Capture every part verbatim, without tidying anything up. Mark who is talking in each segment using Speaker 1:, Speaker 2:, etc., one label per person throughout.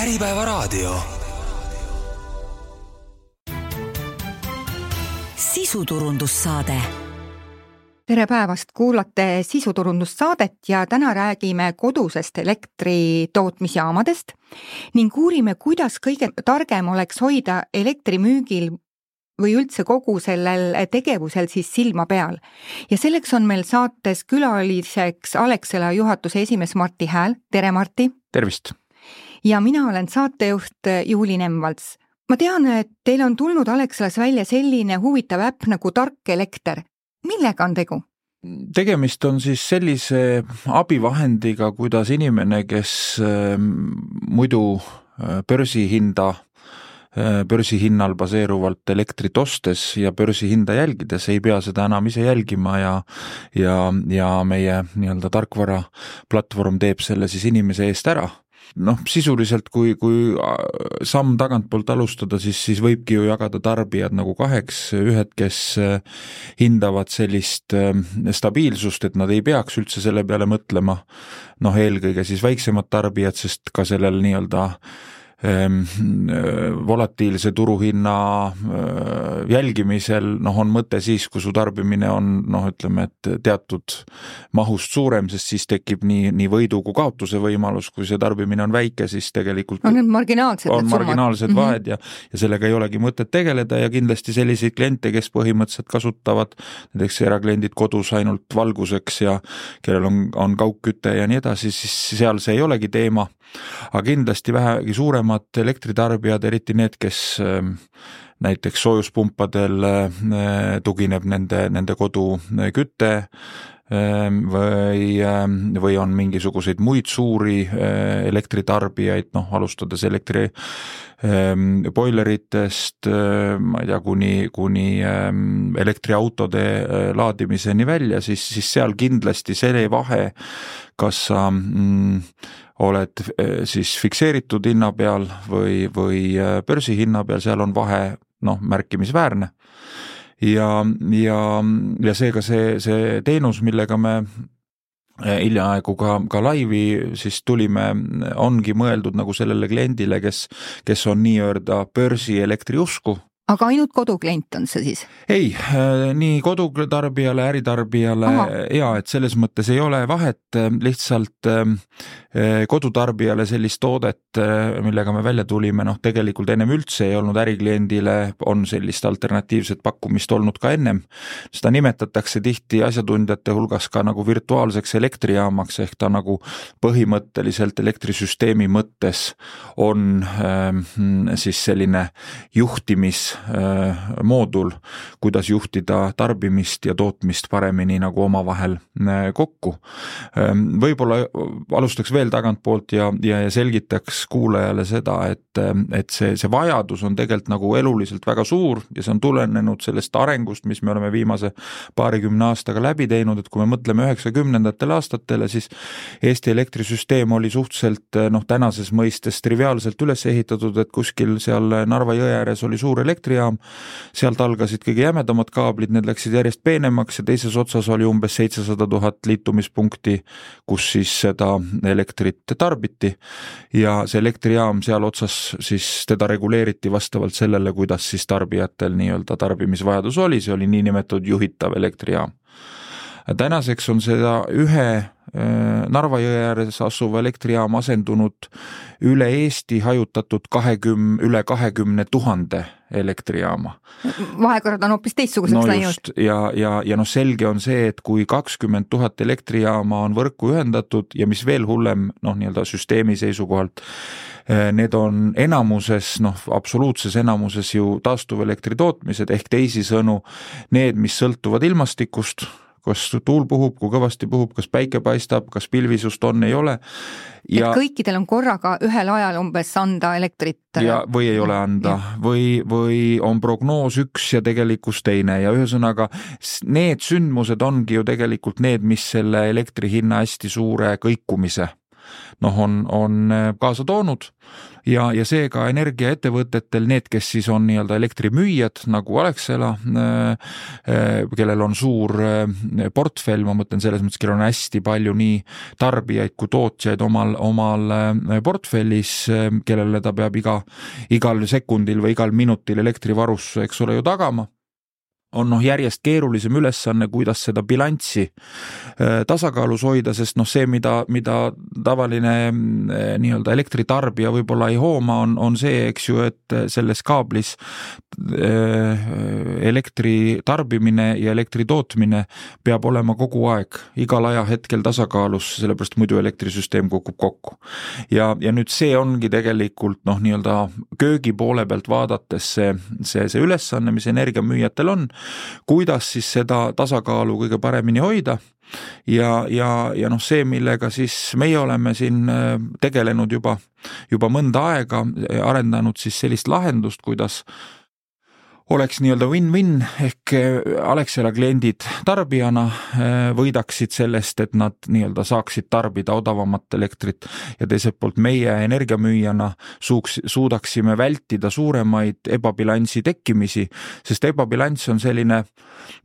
Speaker 1: Äripäevaraadio.
Speaker 2: Sisuturundussaade.
Speaker 3: Tere päevast, kuulate sisuturundussaadet ja täna räägime kodusest elektri tootmisjaamadest ning uurime, kuidas kõige targem oleks hoida elektrimüügil või üldse kogu sellel tegevusel siis silma peal. Ja selleks on meil saates külaliseks Alexela juhatuse esimees Martti Hääl. Tere, Martti!
Speaker 4: Tervist!
Speaker 3: Ja mina olen saatejuht Juuli Nemvalts. Ma tean, et teil on tulnud Alexelas välja selline huvitav äpp nagu Tark Elekter. Millega on tegu?
Speaker 4: Tegemist on siis sellise abivahendiga, kuidas inimene, kes muidu börsihinda, börsihinnal baseeruvalt elektrit ostes ja börsihinda jälgides ei pea seda enam ise jälgima ja, ja, ja meie nii-öelda tarkvara platvorm teeb selle siis inimese eest ära. Noh, sisuliselt, kui, kui samm tagantpoolt alustada, siis, siis võibki ju jagada tarbijad nagu kaheks, ühed, kes hindavad sellist stabiilsust, et nad ei peaks üldse selle peale mõtlema, noh, eelkõige siis väiksemad tarbijad, sest ka sellel nii-öelda volatiilse turuhinna jälgimisel noh, on mõte siis, kui su tarbimine on noh, ütleme, et teatud mahust suurem, sest siis tekib nii, nii võidu kui kaotuse võimalus, kui see tarbimine on väike, siis tegelikult
Speaker 3: on need marginaalsed,
Speaker 4: on marginaalsed vahed ja, ja sellega ei olegi mõtet tegeleda ja kindlasti selliseid kliente, kes põhimõtteliselt kasutavad näiteks erakliendid kodus ainult valguseks ja kellel on, on kaugküte ja nii edasi, siis seal see ei olegi teema. Aga kindlasti vähegi suuremad elektritarbijad, eriti need, kes näiteks soojuspumpadel tugineb nende, nende kodu küte või, või on mingisuguseid muid suuri elektritarbijaid, noh, alustades elektri boileritest, ma ei tea, kuni, kuni elektriautode laadimiseni välja, siis, siis seal kindlasti see vahe, kas sa mm, oled siis fikseeritud hinna peal või, või börsihinna peal, seal on vahe noh, märkimisväärne. Ja, ja, ja seega see, see teenus, millega me hiljaaegu ka, ka laivi siis tulime, ongi mõeldud nagu sellele kliendile, kes, kes on nii-öelda börsi elektriusku.
Speaker 3: Aga ainult koduklient on see siis?
Speaker 4: Ei, nii kodutarbijale, äritarbijale Aha. ja et selles mõttes ei ole vahet, lihtsalt kodutarbijale sellist toodet, millega me välja tulime, noh tegelikult ennem üldse ei olnud ärikliendile, on sellist alternatiivset pakkumist olnud ka ennem. Seda nimetatakse tihti asjatundjate hulgas ka nagu virtuaalseks elektrijaamaks, ehk ta nagu põhimõtteliselt elektrisüsteemi mõttes on siis selline juhtimis moodul, kuidas juhtida tarbimist ja tootmist paremini nagu omavahel kokku. Võib-olla alustaks veel tagantpoolt ja, ja selgitaks kuulajale seda, et, et see, see vajadus on tegelikult nagu eluliselt väga suur ja see on tulenenud sellest arengust, mis me oleme viimase paarikümne aastaga läbi teinud, et kui me mõtleme üheksakümnendatel aastatele, siis Eesti elektrisüsteem oli suhteliselt noh, tänases mõistes triviaalselt üles ehitatud, et kuskil seal Narva jõe ääres oli suur elektri jaam, sealt algasid kõige jämedamad kaablid, need läksid järjest peenemaks ja teises otsas oli umbes seitsesada tuhat liitumispunkti, kus siis seda elektrit tarbiti ja see elektrijaam seal otsas siis teda reguleeriti vastavalt sellele, kuidas siis tarbijatel nii-öelda tarbimisvajadus oli, see oli niinimetatud juhitav elektrijaam. Tänaseks on seda ühe Narva jõe ääres asuva elektrijaam asendunud üle Eesti hajutatud kahekümne, üle kahekümne tuhande elektrijaama.
Speaker 3: Vahekorrad on hoopis teistsuguseks
Speaker 4: no
Speaker 3: läinud.
Speaker 4: Ja, ja, ja no selge on see, et kui kakskümmend tuhat elektrijaama on võrku ühendatud ja mis veel hullem, noh nii-öelda süsteemi seisukohalt, need on enamuses, noh absoluutses enamuses ju taastuvelektri tootmised ehk teisisõnu need, mis sõltuvad ilmastikust, kas tuul puhub, kui kõvasti puhub, kas päike paistab, kas pilvisust on, ei ole.
Speaker 3: Ja, et kõikidel on korraga ühel ajal umbes anda elektrit.
Speaker 4: Ja, või ei ole anda, või, või on prognoos üks ja tegelikkus teine ja ühesõnaga need sündmused ongi ju tegelikult need, mis selle elektri hinna hästi suure kõikumise noh, on, on kaasa toonud ja, ja seega energiaettevõtetel, need, kes siis on nii-öelda elektrimüüjad nagu Alexela, kellel on suur portfell, ma mõtlen selles mõttes, kellel on hästi palju nii tarbijaid kui tootjaid omal, omal portfellis, kellele ta peab iga, igal sekundil või igal minutil elektrivarustuse, eks ole ju tagama, on noh järjest keerulisem ülesanne, kuidas seda bilanssi tasakaalus hoida, sest noh see, mida, mida tavaline nii-öelda elektritarbija võib-olla ei hooma, on, on see, eks ju, et selles kaablis elektri tarbimine ja elektri tootmine peab olema kogu aeg, igal ajahetkel tasakaalus, sellepärast muidu elektrisüsteem kukub kokku. Ja, ja nüüd see ongi tegelikult noh nii-öelda köögi poole pealt vaadates see, see, see ülesanne, mis energiamüüjatel on, kuidas siis seda tasakaalu kõige paremini hoida ja, ja, ja noh see, millega siis meie oleme siin tegelenud juba, juba mõnda aega, arendanud siis sellist lahendust, kuidas oleks nii-öelda win-win ehk Alexela kliendid tarbijana võidaksid sellest, et nad nii-öelda saaksid tarbida odavamat elektrit ja teiselt poolt meie energiamüüjana suuks, suudaksime vältida suuremaid ebabilansi tekkimisi, sest ebabilanss on selline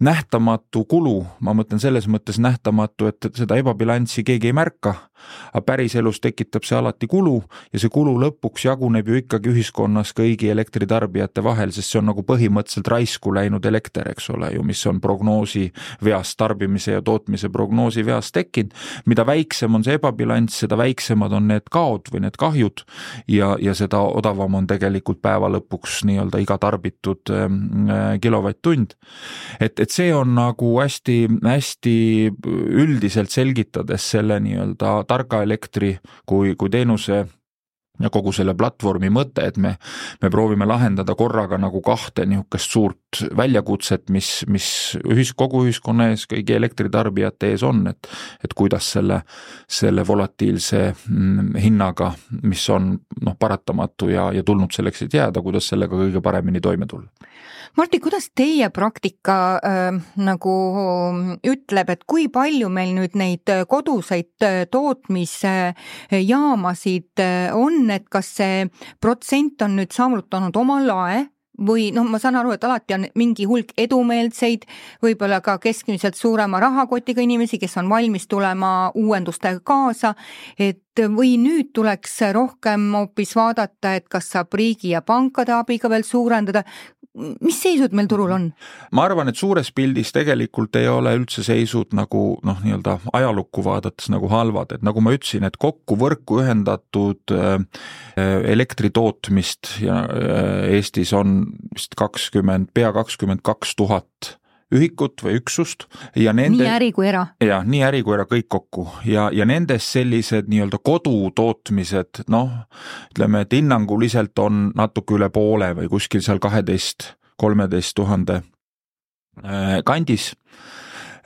Speaker 4: nähtamatu kulu, ma mõtlen selles mõttes nähtamatu, et seda ebabilanssi keegi ei märka, aga päriselus tekitab see alati kulu ja see kulu lõpuks jaguneb ju ikkagi ühiskonnas kõigi elektritarbijate vahel, sest see on nagu põhimõtteliselt raisku läinud elekter, eks ole ju, mis on prognoosi veast, tarbimise ja tootmise prognoosi veast tekkinud. Mida väiksem on see ebabilanss, seda väiksemad on need kaod või need kahjud ja, ja seda odavam on tegelikult päeva lõpuks nii-öelda iga tarbitud äh, kilovatt-tund. Et, et see on nagu hästi, hästi üldiselt selgitades selle nii-öelda targa elektri kui, kui teenuse ja kogu selle platvormi mõte, et me, me proovime lahendada korraga nagu kahte niisugust suurt väljakutset, mis, mis ühis, kogu ühiskonna ees, kõigi elektritarbijate ees on, et, et kuidas selle, selle volatiilse hinnaga, mis on noh, paratamatu ja, ja tulnud selleks, et jääda, kuidas sellega kõige paremini toime tulla.
Speaker 3: Martti, kuidas teie praktika äh, nagu ütleb, et kui palju meil nüüd neid koduseid tootmisjaamasid on, et kas see protsent on nüüd saavutanud oma lae või noh, ma saan aru, et alati on mingi hulk edumeelseid, võib-olla ka keskmiselt suurema rahakotiga inimesi, kes on valmis tulema uuendustega kaasa, et või nüüd tuleks rohkem hoopis vaadata, et kas saab riigi ja pankade abiga veel suurendada. Mis seisud meil turul on?
Speaker 4: Ma arvan, et suures pildis tegelikult ei ole üldse seisud nagu noh, nii-öelda ajalukku vaadates nagu halvad, et nagu ma ütlesin, et kokku võrku ühendatud elektritootmist ja Eestis on vist kakskümmend, pea kakskümmend kaks tuhat ühikut või üksust ja nende,
Speaker 3: nii äri kui era.
Speaker 4: Ja, nii äri kui era kõik kokku ja, ja nendes sellised nii-öelda kodutootmised, noh, ütleme, et hinnanguliselt on natuke üle poole või kuskil seal kaheteist, kolmeteist tuhande kandis.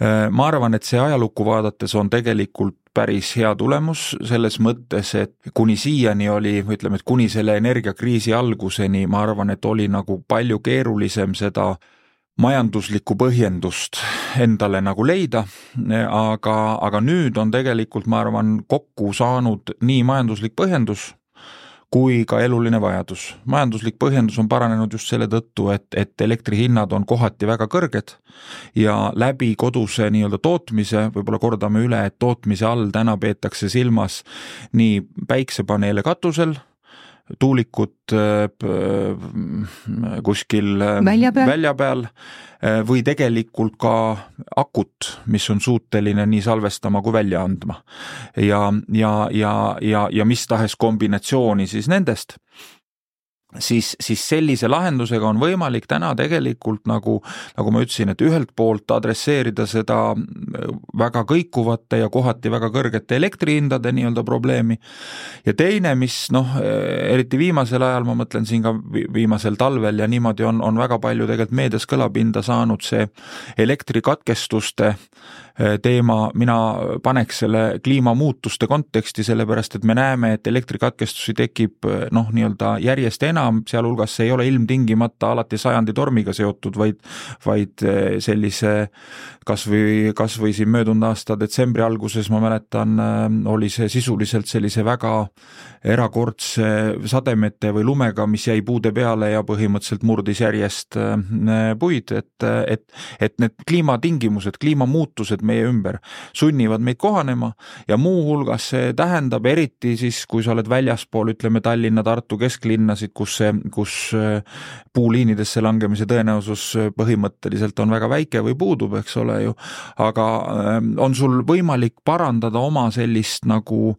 Speaker 4: Ma arvan, et see ajalukku vaadates on tegelikult päris hea tulemus selles mõttes, et kuni siiani oli, ütleme, et kuni selle energiakriisi alguseni, ma arvan, et oli nagu palju keerulisem seda majanduslikku põhjendust endale nagu leida, aga, aga nüüd on tegelikult, ma arvan, kokku saanud nii majanduslik põhjendus kui ka eluline vajadus. Majanduslik põhjendus on paranenud just selle tõttu, et, et elektrihinnad on kohati väga kõrged ja läbi koduse nii-öelda tootmise, võib-olla kordame üle, et tootmise all täna peetakse silmas nii päiksepaneele katusel, tuulikut kuskil
Speaker 3: välja peal.
Speaker 4: välja peal või tegelikult ka akut, mis on suuteline nii salvestama kui välja andma. Ja, ja, ja, ja, ja mis tahes kombinatsiooni siis nendest. Siis, siis sellise lahendusega on võimalik täna tegelikult nagu, nagu ma ütlesin, et ühelt poolt adresseerida seda väga kõikuvate ja kohati väga kõrgete elektrihindade nii-öelda probleemi ja teine, mis noh, eriti viimasel ajal, ma mõtlen siin ka viimasel talvel ja niimoodi on, on väga palju tegelikult meedias kõlapinda saanud see elektrikatkestuste teema, mina paneks selle kliimamuutuste konteksti, sellepärast et me näeme, et elektrikatkestusi tekib noh, nii-öelda järjest enam enam, sealhulgas see ei ole ilmtingimata alati sajandi tormiga seotud, vaid, vaid sellise kas või, kas või siin möödunud aasta detsembri alguses, ma mäletan, oli see sisuliselt sellise väga erakordse sademete või lumega, mis jäi puude peale ja põhimõtteliselt murdis järjest puid, et, et, et need kliimatingimused, kliimamuutused meie ümber sunnivad meid kohanema ja muu hulgas see tähendab eriti siis, kui sa oled väljaspool, ütleme Tallinna, Tartu kesklinnasid, kus, see, kus puuliinidesse langemise tõenäosus põhimõtteliselt on väga väike või puudub, eks ole ju, aga on sul võimalik parandada oma sellist nagu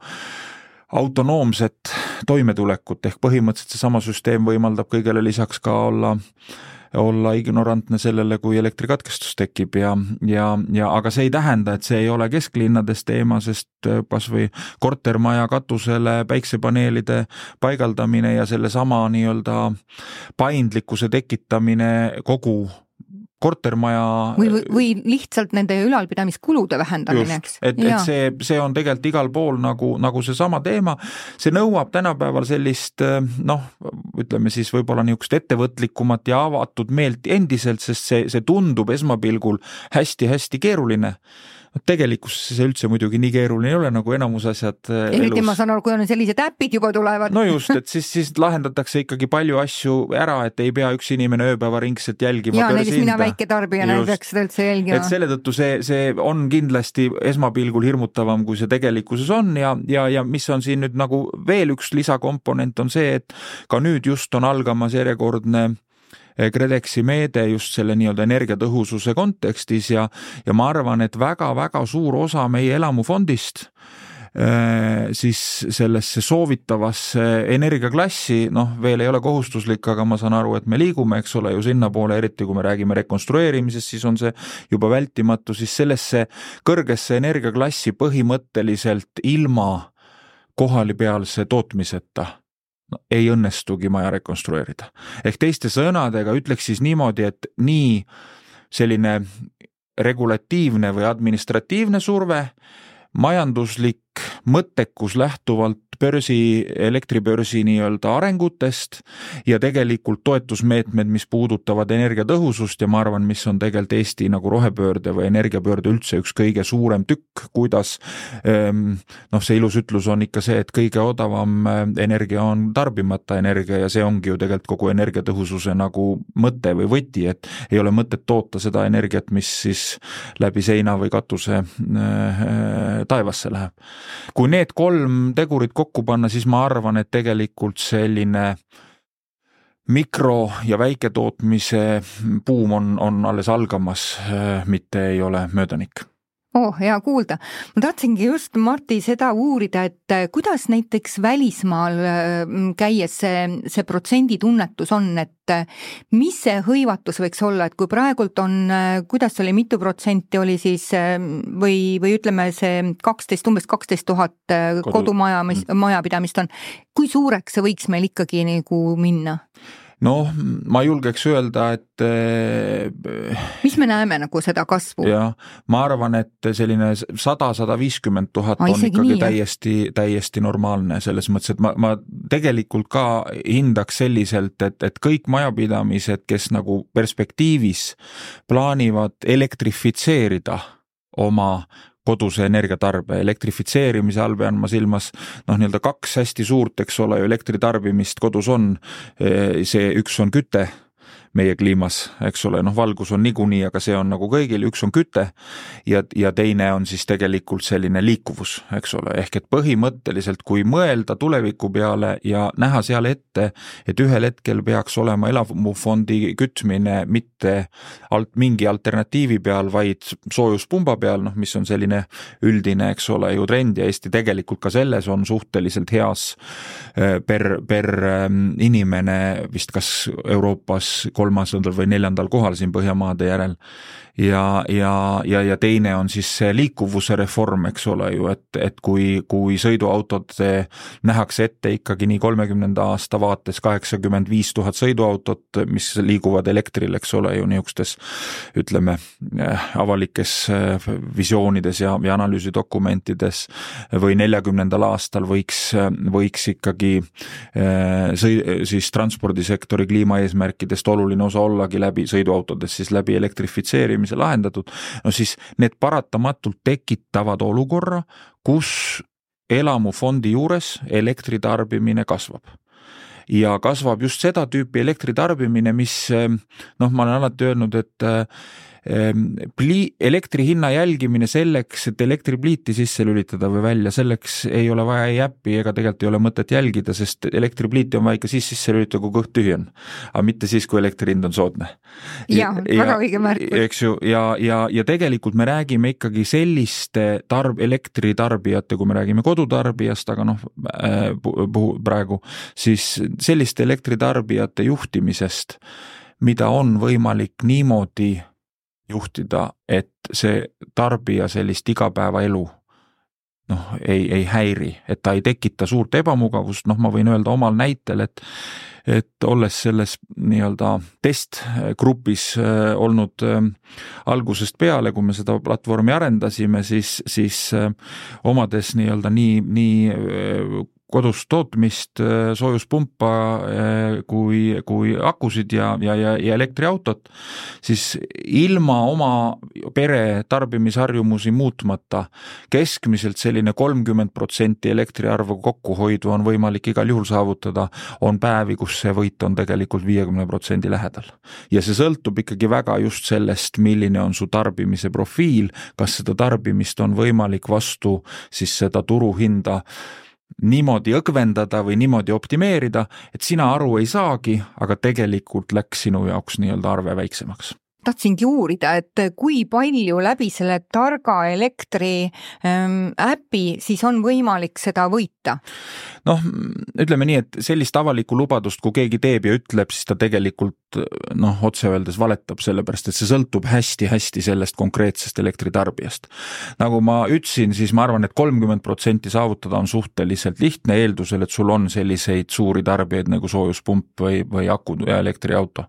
Speaker 4: autonoomset toimetulekut, ehk põhimõtteliselt see sama süsteem võimaldab kõigele lisaks ka olla olla ignorantne sellele, kui elektrikatkestus tekib ja, ja, ja aga see ei tähenda, et see ei ole kesklinnades teema, sest kas või kortermaja katusele päiksepaneelide paigaldamine ja selle sama nii-öelda paindlikkuse tekitamine kogu kortermaja
Speaker 3: või, või, või lihtsalt nende ülalpidamiskulude vähendamine, eks?
Speaker 4: et, et see, see on tegelikult igal pool nagu, nagu see sama teema, see nõuab tänapäeval sellist noh, ütleme siis võib-olla niisugust ettevõtlikumat ja avatud meelt endiselt, sest see, see tundub esmapilgul hästi-hästi keeruline. Tegelikkus see üldse muidugi nii keeruline ei ole, nagu enamus asjad
Speaker 3: elus. Eriti ma saan aru, kui on sellised äpid juba tulevad.
Speaker 4: No just, et siis, siis lahendatakse ikkagi palju asju ära, et ei pea üks inimene ööpäevaringselt jälgima.
Speaker 3: Ja näiteks mina väike tarbijana ei peaks seda üldse jälgima.
Speaker 4: Et selle tõttu see, see on kindlasti esmapilgul hirmutavam, kui see tegelikkuses on ja, ja, ja mis on siin nüüd nagu veel üks lisakomponent on see, et ka nüüd just on algamas järjekordne KredExi meede just selle nii-öelda energiatõhususe kontekstis ja, ja ma arvan, et väga-väga suur osa meie elamufondist siis sellesse soovitavasse energiaklassi, noh veel ei ole kohustuslik, aga ma saan aru, et me liigume, eks ole ju sinna poole, eriti kui me räägime rekonstrueerimisest, siis on see juba vältimatu, siis sellesse kõrgesse energiaklassi põhimõtteliselt ilma kohalipealse tootmiseta no, ei õnnestugi maja rekonstrueerida. Ehk teiste sõnadega ütleks siis niimoodi, et nii selline regulatiivne või administratiivne surve, majanduslik mõttekus lähtuvalt börsi, elektribörsi nii-öelda arengutest ja tegelikult toetusmeetmed, mis puudutavad energiatõhusust ja ma arvan, mis on tegelikult Eesti nagu rohepöörde või energiapöörde üldse üks kõige suurem tükk, kuidas noh, see ilus ütlus on ikka see, et kõige odavam energia on tarbimata energia ja see ongi ju tegelikult kogu energiatõhususe nagu mõte või võti, et ei ole mõtet toota seda energiat, mis siis läbi seina või katuse taevasse läheb. Kui need kolm tegurit kokku panna, siis ma arvan, et tegelikult selline mikro- ja väiketootmise buum on, on alles algamas, mitte ei ole möödanik.
Speaker 3: Oh, hea kuulda. Ma tahtsingi just, Martti, seda uurida, et kuidas näiteks välismaal käies see, see protsenditunnetus on, et mis see hõivatus võiks olla, et kui praegult on, kuidas oli, mitu protsenti oli siis või, või ütleme see kaksteist, umbes kaksteist tuhat kodumaja, majapidamist on, kui suureks see võiks meil ikkagi nagu minna?
Speaker 4: No, ma julgeks öelda, et
Speaker 3: mis me näeme nagu seda kasvu?
Speaker 4: Ja, ma arvan, et selline sada, sada viiskümmend tuhat on ikkagi nii, täiesti, täiesti normaalne selles mõttes, et ma, ma tegelikult ka hindaks selliselt, et, et kõik majapidamised, kes nagu perspektiivis plaanivad elektrifitseerida oma koduse energiatarbe. Elektrifitseerimise all pean ma silmas noh, nii-öelda kaks hästi suurt, eks ole, elektritarbimist kodus on. See üks on küte meie kliimas, eks ole, noh valgus on niikuinii, aga see on nagu kõigil, üks on küte ja, ja teine on siis tegelikult selline liikuvus, eks ole, ehk et põhimõtteliselt kui mõelda tuleviku peale ja näha seal ette, et ühel hetkel peaks olema elamufondi kütmine mitte alt, mingi alternatiivi peal, vaid soojuspumba peal, noh mis on selline üldine, eks ole, ju trend ja Eesti tegelikult ka selles on suhteliselt heas per, per inimene vist kas Euroopas kolmasandal või neljandal kohal siin Põhjamaade järel. Ja, ja, ja, ja teine on siis see liikuvuse reform, eks ole ju, et, et kui, kui sõiduautod nähakse ette ikkagi nii kolmekümnenda aasta vaates kaheksakümmend viis tuhat sõiduautot, mis liiguvad elektril, eks ole ju, niisugustes, ütleme, avalikes visioonides ja, ja analüüsidokumentides või neljakümnendal aastal võiks, võiks ikkagi sõi, siis transpordisektori kliimaeesmärkidest oluline osa ollagi läbi sõiduautodes, siis läbi elektrifitseerimise lahendatud, no siis need paratamatult tekitavad olukorra, kus elamufondi juures elektritarbimine kasvab. Ja kasvab just seda tüüpi elektritarbimine, mis, noh, ma olen alati öelnud, et Pli, elektri hinna jälgimine selleks, et elektripliiti sisse lülitada või välja, selleks ei ole vaja ei äppi ega tegelikult ei ole mõtet jälgida, sest elektripliiti on vaja ikka siis sisse lülitada, kui kõht tühi on, aga mitte siis, kui elektri hind on soodne.
Speaker 3: Ja, ja, väga õige märkus.
Speaker 4: Eks ju, ja, ja, ja tegelikult me räägime ikkagi selliste tarb, elektritarbijate, kui me räägime kodutarbijast, aga noh, praegu, siis selliste elektritarbijate juhtimisest, mida on võimalik niimoodi juhtida, et see tarbija sellist igapäevaelu noh, ei, ei häiri, et ta ei tekita suurt ebamugavust, noh, ma võin öelda omal näitel, et et olles selles nii-öelda testgrupis olnud algusest peale, kui me seda platvormi arendasime, siis, siis omades nii-öelda nii, nii kodus tootmist, soojuspumpa kui, kui akusid ja, ja, ja, ja elektriautot, siis ilma oma pere tarbimisharjumusi muutmata keskmiselt selline kolmkümmend protsenti elektriarvu kokkuhoidu on võimalik igal juhul saavutada, on päevi, kus see võit on tegelikult viiekümne protsendi lähedal. Ja see sõltub ikkagi väga just sellest, milline on su tarbimise profiil, kas seda tarbimist on võimalik vastu siis seda turuhinda niimoodi õgvendada või niimoodi optimeerida, et sina aru ei saagi, aga tegelikult läks sinu jaoks nii-öelda arve väiksemaks.
Speaker 3: Tahtsingi uurida, et kui palju läbi selle targa elektri ähm, äpi siis on võimalik seda võita?
Speaker 4: Noh, ütleme nii, et sellist avalikku lubadust, kui keegi teeb ja ütleb, siis ta tegelikult noh, otse öeldes valetab, sellepärast, et see sõltub hästi-hästi sellest konkreetsest elektritarbijast. Nagu ma ütlesin, siis ma arvan, et kolmkümmend protsenti saavutada on suhteliselt lihtne eeldusel, et sul on selliseid suuri tarbijaid nagu soojuspump või, või akud ja elektriauto.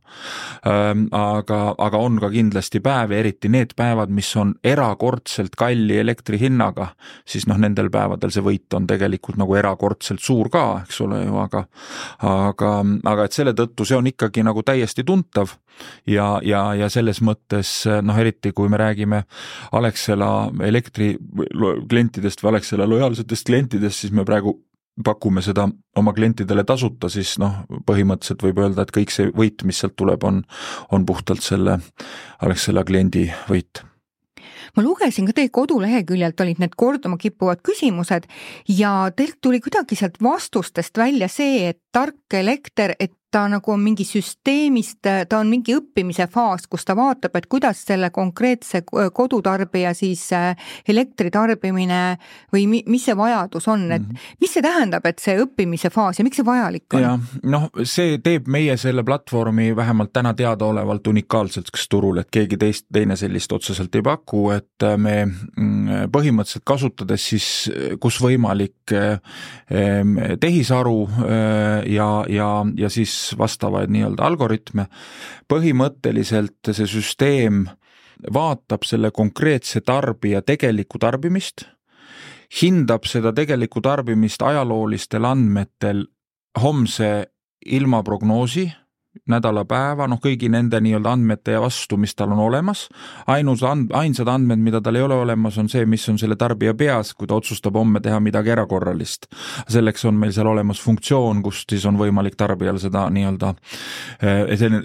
Speaker 4: Aga, aga on ka kindlasti päevi, eriti need päevad, mis on erakordselt kalli elektri hinnaga, siis noh, nendel päevadel see võit on tegelikult nagu erakordselt suur ka, eks ole ju, aga, aga, aga et selle tõttu see on ikkagi nagu täiesti tuntav ja, ja, ja selles mõttes, noh, eriti kui me räägime Alexela elektri klientidest või Alexela lojaalsetest klientidest, siis me praegu pakume seda oma klientidele tasuta, siis noh, põhimõtteliselt võib öelda, et kõik see võit, mis sealt tuleb, on, on puhtalt selle Alexela kliendi võit.
Speaker 3: Ma lugesin ka teie koduleheküljelt olid need korduma kippuvad küsimused ja teilt tuli kuidagi sealt vastustest välja see, et tark elekter, et ta nagu on mingi süsteemist, ta on mingi õppimise faas, kus ta vaatab, et kuidas selle konkreetse kodutarbija siis elektritarbimine või mis see vajadus on, et mis see tähendab, et see õppimise faas ja miks see vajalik on?
Speaker 4: Ja, noh, see teeb meie selle platvormi vähemalt täna teadaolevalt unikaalseks turul, et keegi teist, teine sellist otseselt ei paku, et me põhimõtteliselt kasutades siis, kus võimalik tehisaru ja, ja, ja siis vastavaid nii-öelda algoritme. Põhimõtteliselt see süsteem vaatab selle konkreetse tarbija tegelikku tarbimist, hindab seda tegelikku tarbimist ajaloolistel andmetel homse ilmaprognoosi, nädalapäeva, noh kõigi nende nii-öelda andmete ja vastu, mis tal on olemas. Ainus and, ainsad andmed, mida tal ei ole olemas, on see, mis on selle tarbija peas, kui ta otsustab homme teha midagi erakorralist. Selleks on meil seal olemas funktsioon, kust siis on võimalik tarbijal seda nii-öelda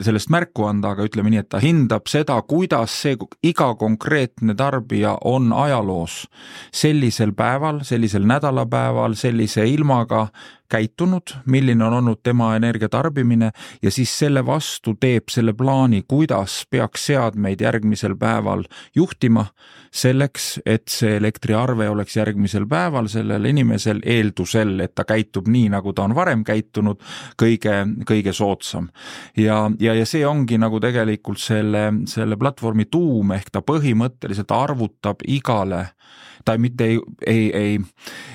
Speaker 4: sellest märku anda, aga ütleme nii, et ta hindab seda, kuidas see iga konkreetne tarbija on ajaloos sellisel päeval, sellisel nädalapäeval, sellise ilmaga käitunud, milline on olnud tema energiatarbimine ja siis selle vastu teeb selle plaani, kuidas peaks seadmeid järgmisel päeval juhtima selleks, et see elektriarve oleks järgmisel päeval sellel inimesel eeldusel, et ta käitub nii, nagu ta on varem käitunud, kõige, kõige soodsam. Ja, ja, ja see ongi nagu tegelikult selle, selle platvormi tuum, ehk ta põhimõtteliselt arvutab igale ta mitte ei, ei, ei,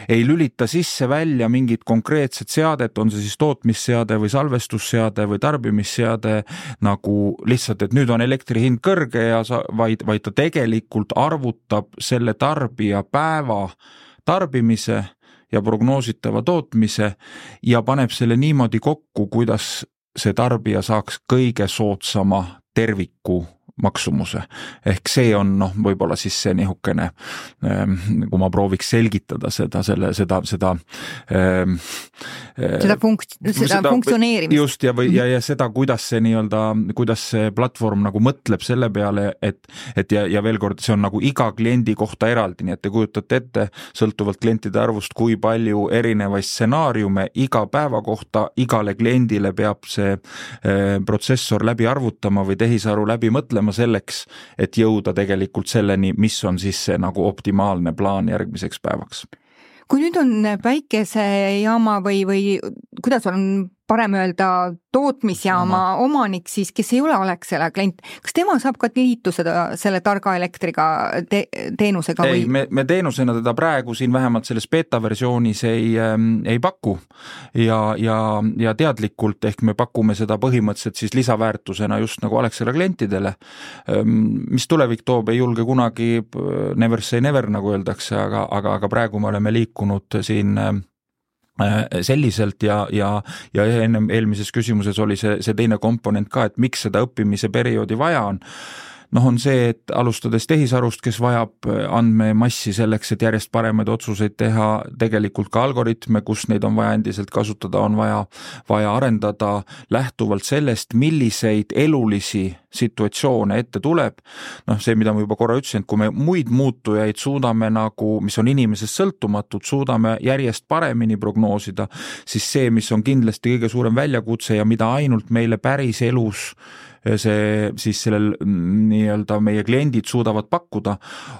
Speaker 4: ei lülita sisse välja mingit konkreetset seadet, on see siis tootmisseade või salvestusseade või tarbimisseade, nagu lihtsalt, et nüüd on elektri hind kõrge ja sa, vaid, vaid ta tegelikult arvutab selle tarbija päeva tarbimise ja prognoositava tootmise ja paneb selle niimoodi kokku, kuidas see tarbija saaks kõige soodsama terviku maksumuse. Ehk see on noh, võib-olla siis see nihukene, kui ma prooviks selgitada seda, selle, seda, seda
Speaker 3: seda, funkt, seda, seda funktsioneerimist.
Speaker 4: Just ja, või, ja, ja seda, kuidas see nii-öelda, kuidas see platvorm nagu mõtleb selle peale, et, et ja, ja veel kord, see on nagu iga kliendi kohta eraldi, nii et te kujutate ette, sõltuvalt klientide arvust, kui palju erinevaid stsenaariume iga päeva kohta igale kliendile peab see eh, protsessor läbi arvutama või tehisaru läbi mõtlema selleks, et jõuda tegelikult selleni, mis on siis see nagu optimaalne plaan järgmiseks päevaks.
Speaker 3: Kui nüüd on päikesejaama või, või kuidas on parem öelda tootmisjaama Oma. omanik siis, kes ei ole Alexela klient, kas tema saab ka liituseda selle targa elektriga te, teenusega?
Speaker 4: Ei,
Speaker 3: või?
Speaker 4: Me, me teenusena teda praegu siin vähemalt selles beta-versioonis ei, ähm, ei paku ja, ja, ja teadlikult ehk me pakume seda põhimõtteliselt siis lisaväärtusena just nagu Alexela klientidele. Mis tulevik toob, ei julge kunagi never say never, nagu öeldakse, aga, aga, aga praegu me oleme liikunud siin selliselt ja, ja, ja enne eelmises küsimuses oli see, see teine komponent ka, et miks seda õppimise perioodi vaja on. Noh, on see, et alustades tehisarust, kes vajab andmemassi selleks, et järjest paremaid otsuseid teha, tegelikult ka algoritme, kus neid on vaja endiselt kasutada, on vaja, vaja arendada lähtuvalt sellest, milliseid elulisi situatsioone ette tuleb. Noh, see, mida ma juba korra ütlesin, et kui me muid muutujaid suudame nagu, mis on inimesest sõltumatud, suudame järjest paremini prognoosida, siis see, mis on kindlasti kõige suurem väljakutse ja mida ainult meile päris elus see siis sellel nii-öelda meie kliendid suudavad pakkuda,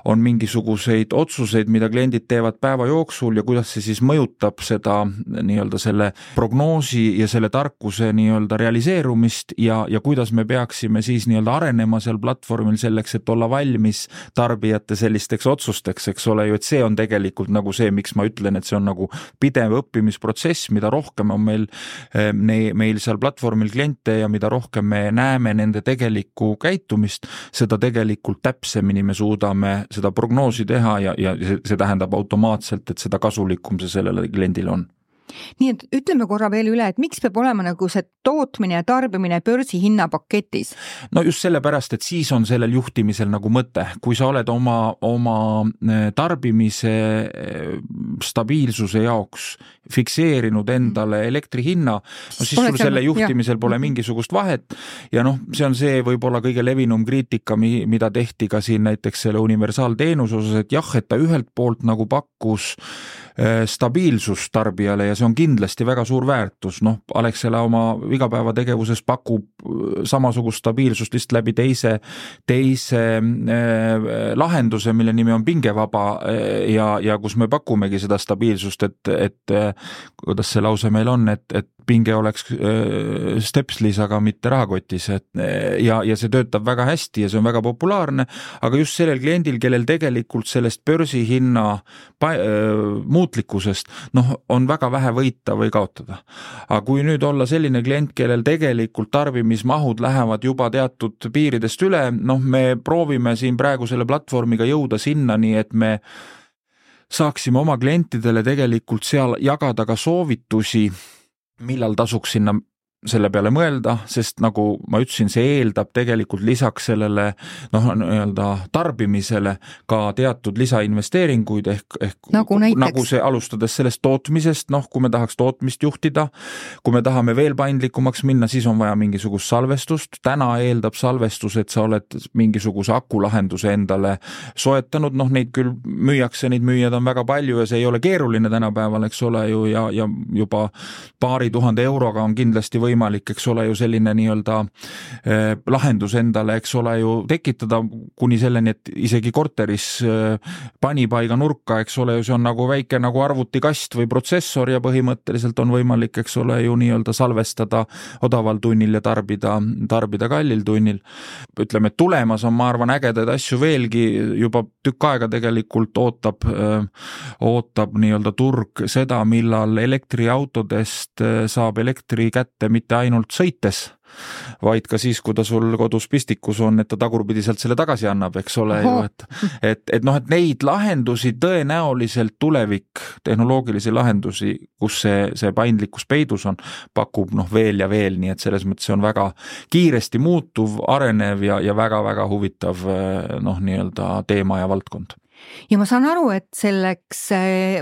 Speaker 4: on mingisuguseid otsuseid, mida kliendid teevad päeva jooksul ja kuidas see siis mõjutab seda nii-öelda selle prognoosi ja selle tarkuse nii-öelda realiseerumist ja, ja kuidas me peaksime siis nii-öelda arenema seal platvormil selleks, et olla valmis tarbijate sellisteks otsusteks, eks ole ju, et see on tegelikult nagu see, miks ma ütlen, et see on nagu pidev õppimisprotsess, mida rohkem on meil, meil seal platvormil kliente ja mida rohkem me näeme nende tegelikku käitumist, seda tegelikult täpsemini me suudame seda prognoosi teha ja, ja see, see tähendab automaatselt, et seda kasulikum see sellele kliendile on.
Speaker 3: Nii et ütleme korra veel üle, et miks peab olema nagu see tootmine ja tarbimine börsi hinnapaketis?
Speaker 4: No just sellepärast, et siis on sellel juhtimisel nagu mõte. Kui sa oled oma, oma tarbimise stabiilsuse jaoks fikseerinud endale elektri hinna, no siis sul selle juhtimisel pole mingisugust vahet ja noh, see on see võib-olla kõige levinum kriitika, mida tehti ka siin näiteks selle universaalteenuse osas, et jah, et ta ühelt poolt nagu pakkus stabiilsus tarbijale ja see on kindlasti väga suur väärtus. Noh, Alexela oma igapäevategevuses pakub samasugust stabiilsust lihtsalt läbi teise, teise äh, lahenduse, mille nimi on pingevaba ja, ja kus me pakumegi seda stabiilsust, et, et kuidas see lause meil on, et, et pinge oleks äh, stepslis, aga mitte rahakotis. Et, ja, ja see töötab väga hästi ja see on väga populaarne, aga just sellel kliendil, kellel tegelikult sellest börsihinna pa- äh, muutlikkusest, noh, on väga vähe võita või kaotada. Aga kui nüüd olla selline klient, kellel tegelikult tarbimismahud lähevad juba teatud piiridest üle, noh, me proovime siin praegu selle platvormiga jõuda sinna, nii et me saaksime oma klientidele tegelikult seal jagada ka soovitusi, millal tasuks sinna selle peale mõelda, sest nagu ma ütlesin, see eeldab tegelikult lisaks sellele noh, nii-öelda tarbimisele ka teatud lisainvesteeringuid ehk, ehk
Speaker 3: nagu,
Speaker 4: nagu see alustades sellest tootmisest, noh, kui me tahaks tootmist juhtida, kui me tahame veel paindlikumaks minna, siis on vaja mingisugust salvestust. Täna eeldab salvestus, et sa oled mingisuguse akulahenduse endale soetanud, noh, neid küll müüakse, neid müüjad on väga palju ja see ei ole keeruline tänapäeval, eks ole ju, ja, ja juba paari tuhande euroga on kindlasti või võimalik, eks ole ju selline nii-öelda eh, lahendus endale, eks ole ju tekitada kuni selleni, et isegi korteris eh, panipaiga nurka, eks ole ju, see on nagu väike nagu arvutikast või protsessor ja põhimõtteliselt on võimalik, eks ole ju nii-öelda salvestada odaval tunnil ja tarbida, tarbida kallil tunnil. Ütleme, et tulemas on, ma arvan, ägedaid asju veelgi, juba tükk aega tegelikult ootab, ootab nii-öelda turg seda, millal elektriautodest saab elektri kätte mitte ainult sõites, vaid ka siis, kui ta sul kodus pistikus on, et ta tagurpidiselt selle tagasi annab, eks ole ju, et, et, et noh, et neid lahendusi tõenäoliselt tulevik, tehnoloogilisi lahendusi, kus see, see paindlikkus peidus on, pakub noh veel ja veel, nii et selles mõttes see on väga kiiresti muutuv, arenev ja, ja väga-väga huvitav noh, nii-öelda teema ja valdkond.
Speaker 3: Ja ma saan aru, et selleks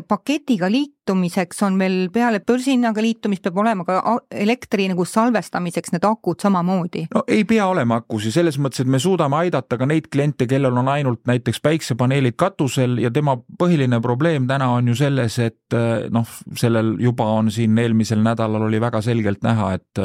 Speaker 3: paketiga liitumiseks on meil peale börsinnaga liitumist peab olema ka elektri nagu salvestamiseks need akud samamoodi.
Speaker 4: No ei pea olema akusi, selles mõttes, et me suudame aidata ka neid kliente, kellel on ainult näiteks päiksepaneelid katusel ja tema põhiline probleem täna on ju selles, et noh, sellel juba on siin eelmisel nädalal oli väga selgelt näha, et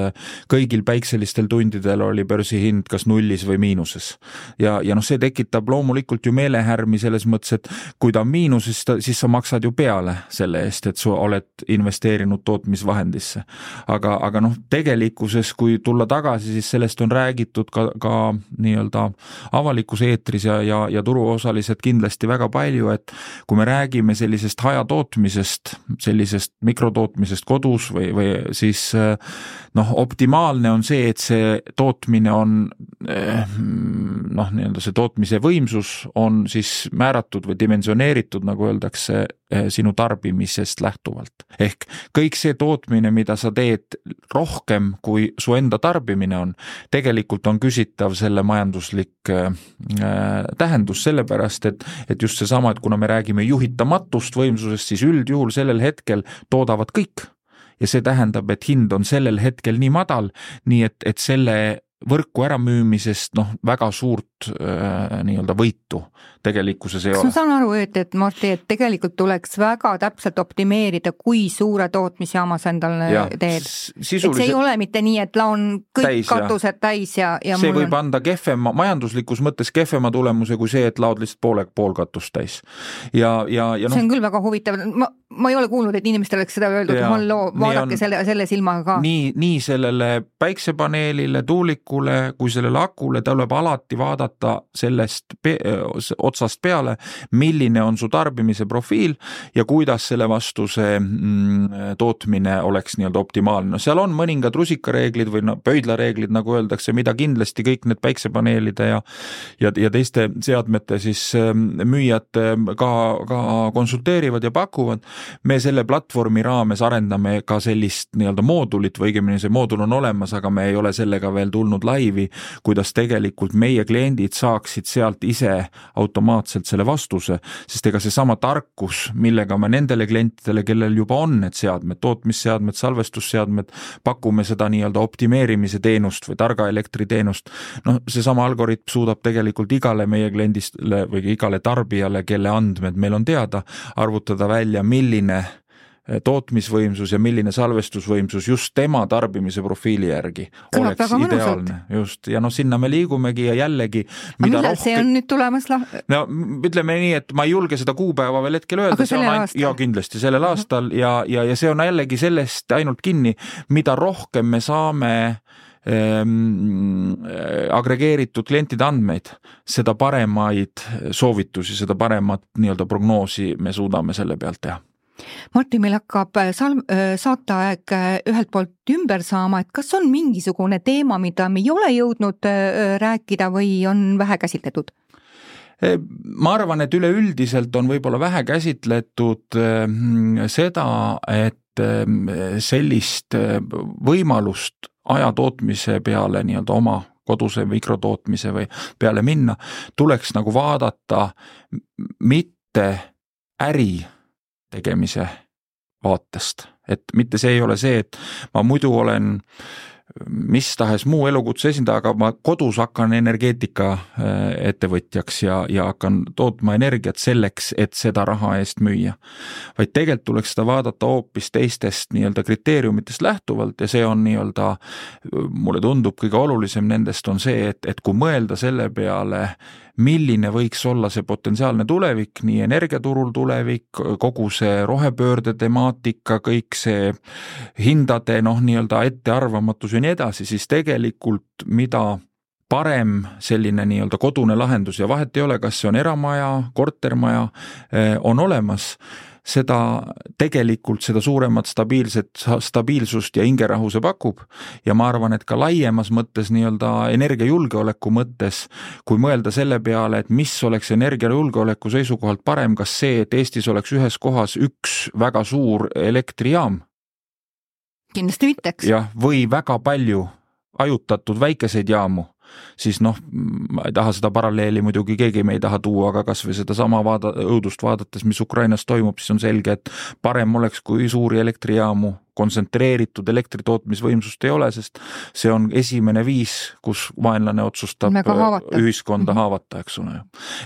Speaker 4: kõigil päikselistel tundidel oli börsihind kas nullis või miinuses. Ja, ja noh, see tekitab loomulikult ju meelehärmi selles mõttes, et kui ta on miinuses, siis sa maksad ju peale selle eest, et sa oled investeerinud tootmisvahendisse. Aga, aga noh, tegelikkuses, kui tulla tagasi, siis sellest on räägitud ka, ka nii-öelda avalikus eetris ja, ja, ja turuosalised kindlasti väga palju, et kui me räägime sellisest hajatootmisest, sellisest mikrotootmisest kodus või, või siis noh, optimaalne on see, et see tootmine on noh, nii-öelda see tootmise võimsus on siis määratud või dimensioneeritud, nagu öeldakse, sinu tarbimisest lähtuvalt. Ehk kõik see tootmine, mida sa teed rohkem, kui su enda tarbimine on, tegelikult on küsitav selle majanduslik äh, tähendus sellepärast, et, et just see sama, et kuna me räägime juhitamatust võimsusest, siis üldjuhul sellel hetkel toodavad kõik. Ja see tähendab, et hind on sellel hetkel nii madal, nii et, et selle võrku äramüümisest noh, väga suurt äh, nii-öelda võitu tegelikkuses ei
Speaker 3: ole. Ma saan aru, et, et Marti, et tegelikult tuleks väga täpselt optimeerida, kui suure tootmisjaama sa endale ja, teed. Sisuliselt... Et see ei ole mitte nii, et laon kõik täis, katused ja. täis ja, ja
Speaker 4: see võib on... anda kehvema, majanduslikus mõttes kehvema tulemuse kui see, et laod lihtsalt poole, pool katust täis. Ja, ja, ja no...
Speaker 3: see on küll väga huvitav. Ma, ma ei ole kuulnud, et inimestel oleks seda öeldud, et halloo, vaadake on... selle, selle silmaga ka.
Speaker 4: Nii, nii sellele päiksepaneelile, tuulikule, kui sellele akule, tuleb alati vaadata sellest pe- otsast peale, milline on su tarbimise profiil ja kuidas selle vastu see mm, tootmine oleks nii-öelda optimaalne. No, seal on mõningad rusikareeglid või no, pöidlareeglid, nagu öeldakse, mida kindlasti kõik need päiksepaneelide ja, ja, ja teiste seadmete siis müüjad ka, ka konsulteerivad ja pakuvad. Me selle platvormi raames arendame ka sellist nii-öelda moodulit või õigemini see moodul on olemas, aga me ei ole sellega veel tulnud laivi, kuidas tegelikult meie kliendid saaksid sealt ise automaatselt selle vastuse, sest ega see sama tarkus, millega me nendele klientidele, kellel juba on need seadmed, tootmisseadmed, salvestusseadmed, pakume seda nii-öelda optimeerimise teenust või targa elektriteenust, noh, see sama algoritm suudab tegelikult igale meie kliendistele või igale tarbijale, kelle andmed meil on teada, arvutada välja, milline tootmisvõimsus ja milline salvestusvõimsus just tema tarbimise profiili järgi
Speaker 3: Kõlab
Speaker 4: oleks ideaalne. Just. Ja noh, sinna me liigumegi ja jällegi mida
Speaker 3: millal rohkem... see on nüüd tulemas? La...
Speaker 4: No, ütleme nii, et ma ei julge seda kuupäeva veel hetkel öelda.
Speaker 3: Aga sellel aastal?
Speaker 4: Ja kindlasti sellel aastal ja, ja, ja see on jällegi sellest ainult kinni, mida rohkem me saame ähm, agregeeritud klientide andmeid, seda paremaid soovitusi, seda paremat nii-öelda prognoosi me suudame selle pealt teha.
Speaker 3: Marti, meil hakkab salm, saateaeg ühelt poolt ümber saama, et kas on mingisugune teema, mida me ei ole jõudnud rääkida või on vähe käsitletud?
Speaker 4: Ma arvan, et üleüldiselt on võib-olla vähe käsitletud seda, et sellist võimalust ajatootmise peale nii-öelda oma koduse mikrotootmise või peale minna, tuleks nagu vaadata mitte äri tegemise vaatest. Et mitte see ei ole see, et ma muidu olen mis tahes muu elukutse esindaja, aga ma kodus hakkan energeetika ettevõtjaks ja, ja hakkan tootma energiat selleks, et seda raha eest müüa. Vaid tegelikult tuleks seda vaadata hoopis teistest nii-öelda kriteeriumitest lähtuvalt ja see on nii-öelda, mulle tundub kõige olulisem nendest on see, et, et kui mõelda selle peale, milline võiks olla see potentsiaalne tulevik, nii energiaturul tulevik, kogu see rohepöörde temaatika, kõik see hindade noh, nii-öelda ettearvamatus ja nii edasi, siis tegelikult mida parem selline nii-öelda kodune lahendus ja vahet ei ole, kas see on eramaja, kortermaja, on olemas, seda tegelikult seda suuremat stabiilset, stabiilsust ja hingerahu see pakub ja ma arvan, et ka laiemas mõttes nii-öelda energiajulgeoleku mõttes, kui mõelda selle peale, et mis oleks energiajulgeoleku seisukohalt parem, kas see, et Eestis oleks ühes kohas üks väga suur elektrijaam?
Speaker 3: Kindlasti mitteks.
Speaker 4: Jah, või väga palju ajutatud väikeseid jaamu, siis noh, ma ei taha seda paralleeli muidugi keegi me ei taha tuua, aga kas või seda sama vaada, õudust vaadates, mis Ukrainas toimub, siis on selge, et parem oleks, kui suuri elektrijaamu kontsentreeritud elektritootmisvõimsust ei ole, sest see on esimene viis, kus vaenlane otsustab ühiskonda haavata, eks ole.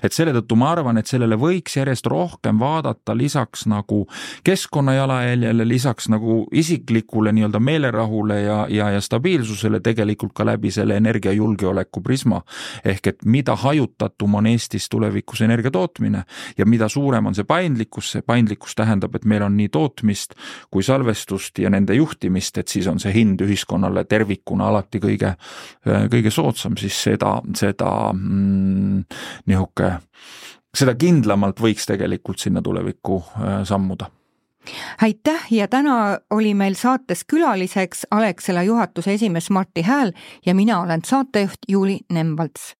Speaker 4: Et selle tõttu ma arvan, et sellele võiks järjest rohkem vaadata lisaks nagu keskkonnajalajäljele, lisaks nagu isiklikule nii-öelda meelerahule ja, ja, ja stabiilsusele tegelikult ka läbi selle energiajulgeoleku prisma. Ehk et mida hajutatum on Eestis tulevikus energia tootmine ja mida suurem on see paindlikkus, see paindlikkus tähendab, et meil on nii tootmist kui salvestust ja nende juhtimist, et siis on see hind ühiskonnale tervikuna alati kõige, kõige soodsam, siis seda, seda mm, nihuke, seda kindlamalt võiks tegelikult sinna tulevikku sammuda.
Speaker 3: Aitäh ja täna oli meil saates külaliseks Alexela juhatuse esimees Martti Hääl ja mina olen saatejuht Juuli Nemvalts.